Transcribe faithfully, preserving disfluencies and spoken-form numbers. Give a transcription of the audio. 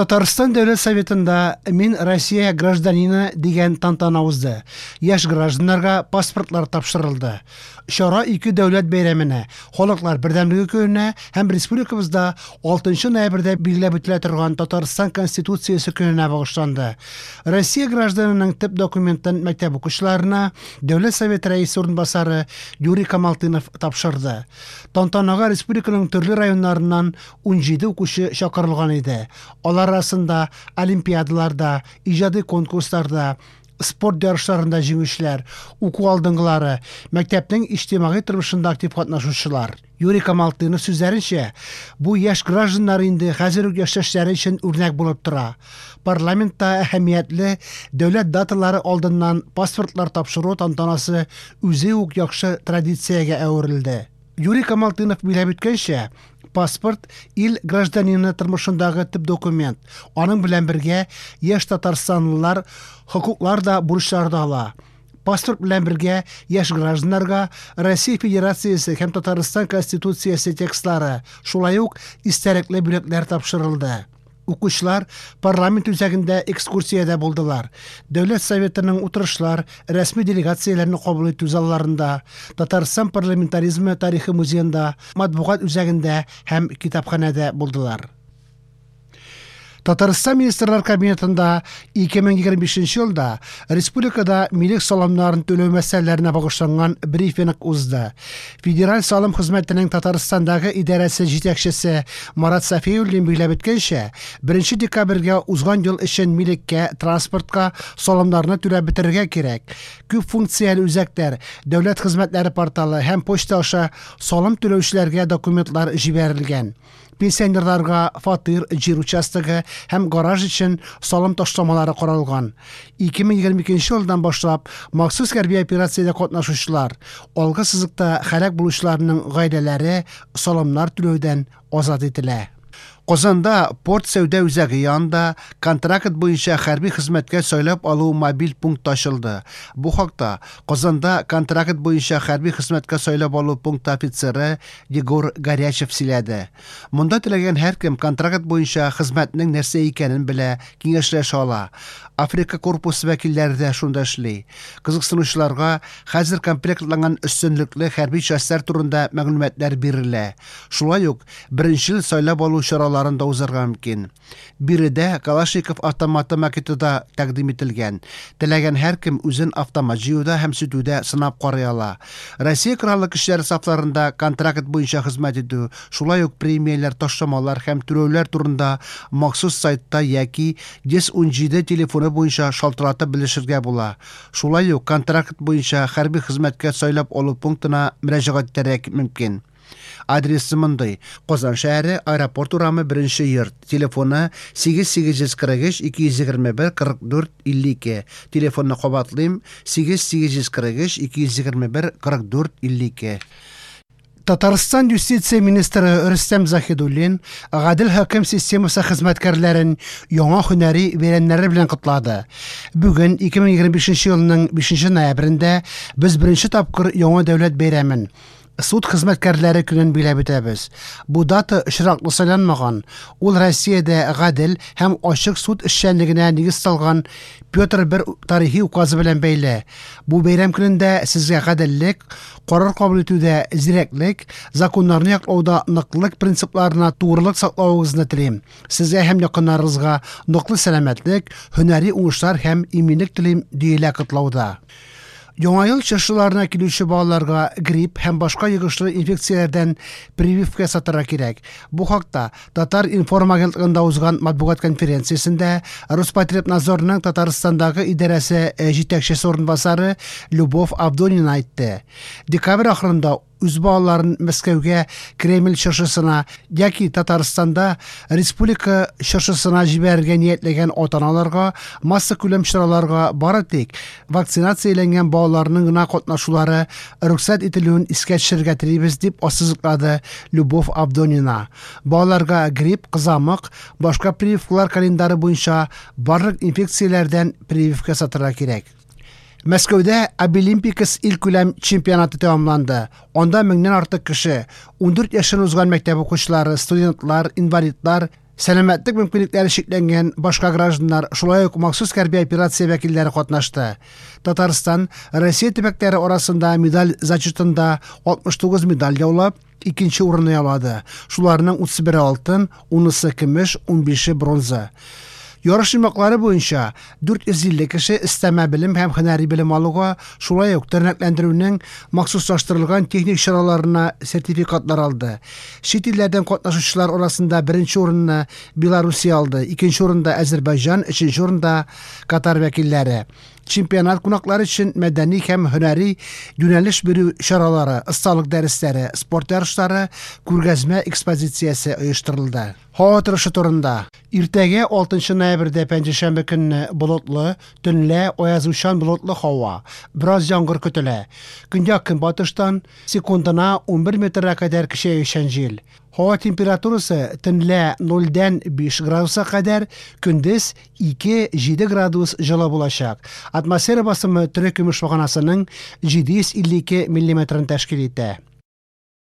Татарстан Дәүләт Советында «Мин Россия гражданины» дигән тантана узды. Яшь гражданнарга паспортлар тапшырылды. Чара ике дәүләт бәйрәменә, Халыклар бердәмлеге көненә һәм республикабызда алтынчы ноябрьдә билгеләп үтелә торган Татарстан Конституциясе көненә багышланды. Россия гражданының төп документын мәктәп укучыларына Дәүләт Советы рәисе урынбасары Юрий Камалтынов тапшырды. Тантанага республиканың төрле районнарыннан унҗиде укучы чакырылган иде. Алар арасында олимпиадаларда, иҗади конкурсларда, спорт ярышларында җиңүчеләр, уку алдынгылары, мәктәпнең иҗтимагый тормышында актив катнашучылар. Юрий Камалтынов сүзләренчә, бу яшь гражданнар инде хәзер үк яшьтәшләре өчен үрнәк булып тора. Парламентта әһәмиятле дәүләт даталары алдыннан паспортлар тапшыру тантанасы үзе үк яхшы традициягә әверелде. Юрий Камалтынов билгеләп үткәнчә, паспорт ил гражданины тормышындагы төп документ. Аның белән бергә яшь татарстанлылар хокуклар да, бурычлар да ала. Паспорт белән бергә яшь гражданнарга Россия Федерациясе һәм Татарстан Конституциясе текстлары, шулай ук истәлекле бүләкләр тапшырылды. Укучылар парламент үзәгендә экскурсиядә булдылар. Дәүләт Советының утырышлар, рәсми делегацияләрне кабул итү залларында, Татарстан парламентаризмы тарихы музеенда, матбугат үзәгендә һәм китапханәдә булдылар. Татарстан Министрлар Кабинетында ике мең егерме бишенче елда республикада милек салымнарын түләү мәсьәләләренә багышланган брифинг узды. Федераль салым хезмәтенең Татарстандагы идарәсе җитәкчесе Марат Сафиуллин билгеләп үткәнчә, беренче декабрьгә узган ел өчен милеккә, транспортка салымнарны түләп бетерергә кирәк. Күп функцияле үзәкләр, дәүләт хезмәтләре порталы һәм почта аша салым түләүчеләргә документлар җибәрелгән. Пенсионерларга фатир, җир участогы һәм гараж өчен салым ташламалары каралган. ике мең егерме икенче елдан башлап махсус хәрби операциядә катнашучылар, алгы сызыкта һәлак булучыларның гаиләләре салымнар түләүдән азат ителә. Казанда порт сәүдә үзәге янында контракт буенча хәрби хезмәткә сайлап алу мобиль пункты ачылды. Бу хакта Казанда контракт буенча хәрби хезмәткә сайлап алу пункты офицеры Егор Горячев сөйләде. Монда теләгән һәркем контракт буенча хезмәтнең нәрсә икәнен белә, киңәшләшә ала. Африка корпусы вәкилләре дә шунда эшли. Кызыксынучыларга хәзер комплектланган өстенлекле хәрби частьләр турында мәгълүматлар бирелә. Шулай ук беренчел сайлап алу чаралары да узарга мөмкин. Биредә Калашников автоматы макеты да тәкъдим ителгән. Теләгән һәркем үзен автомат җыюда һәм сүтүдә сынап карый ала. Россия Кораллы Көчләре сафларында контракт буенча хезмәт итү, шулай ук премияләр, ташламалар һәм түләүләр турында махсус сайтта яки йөз унҗиде телефоны буенча шалтыратып белешергә була. Шулай ук контракт буенча хәрби хезмәткә сайлап алу пунктына мөрәҗәгать итәргә мөмкин. Адресы мондый: Казан шәһәре, аэропорт урамы, беренче йорт. Телефоны сигез сигез йөз кырык өч ике йөз егерме бер кырык дүрт илле ике. Телефонны кабатлыйм: сигез сигез йөз кырык өч ике йөз егерме бер кырык дүрт илле ике. Татарстан юстиция министры Рөстәм Заһидуллин гадел хөкем системасы хезмәткәрләрен яңа һөнәри бәйрәмнәре белән котлады. Бүген ике мең егерме бишенче елның бишенче ноябрендә без беренче тапкыр яңа дәүләт бәйрәмен суд хезмәткәрләре көнен билгеләп үтәбез. Бу дата очраклы сайланмаган. Ул Россиядә гадел һәм ачык суд эшчәнлегенә нигез салган Петр бер тарихи указы белән бәйле. Бу бәйрәм көнендә сезгә гаделлек, карар кабул итүдә зирәклек, законнарны яклауда ныклык принципларына тугрылык саклавыгызны телим. Сезгә һәм якыннарыгызга ныклы сәламәтлек, һөнәри уңышлар һәм иминлек телим, диелә котлауда. Яңа ел чыршыларына килүче балаларга грипп һәм башка йогышлы инфекцияләрдән прививка ясатырга кирәк. Бу хакта Татар информ агентлыгында узган матбугат конференциясендә Роспотребнадзорның Татарстандагы идарәсе җитәкчесе урынбасары Любовь Авдонина әйтте. Декабрь ахырында үз балаларын Мәскәүгә Кремль чыршысына яки Татарстанда республика чыршысына җибәрергә ниятләгән ата-аналарга массакүләм чараларга бары тик вакцинацияләнгән балаларның гына катнашулары рөхсәт ителүен искә төшерергә телибез, дип ассызыклады Любовь Авдонина. Балаларга грипп, кызамык, башка прививкалар календары буенча барлык инфекцияләрдән прививка ясатырга кирәк. Мәскәүдә Абилимпикс илкүләм чемпионаты тәмамланды. Анда меңнән артык кеше, ундүрт яшен узган мәктәп укучылары, студентлар, инвалидлар, Сәламәтлек мөмкинлекләре чикләнгән башка гражданнар, шулай ук махсус хәрби операция вәкилләре катнашты. Татарстан Россия төбәкләре арасында медаль зачетында алтмыш тугыз медаль яулап, икенче урынны яулады. Шуларның утыз бере алтын, унысы көмеш, унбише бронза. Ярыш йомгаклары буенча дүрт йөз илле кеше өстәмә белем һәм һөнәри белем алуга, шулай ук тернәкләндерүнең махсуслаштырылган техник чараларына сертификатлар алды. Чит илләрдән катнашучылар арасында беренче урынны Белоруссия алды, икенче урында Азербайҗан, өченче урында Катар вәкилләре. Чемпионат кунаклары өчен мәдәни һәм һөнәри юнәлеш бирү чаралары, осталык дәресләре, спорт ярышлары, күргәзмә экспозициясе оештырылды. Һава торышы турында. Иртәгә алтынчы ноябрьдә пәнҗешәмбе көнне болытлы, төнлә аязучан болытлы һава, бераз яңгыр көтелә. Көньяк көнбатыштан секундына унбер метрга кадәр көчәючән җил. Һава температурасы төнлә нольдән биш градуска кадәр, көндез ике җиде градус җылы булачак. Атмосфера басымы тере көмеш баганасының җиде йөз илле ике миллиметрын тәшкил итә.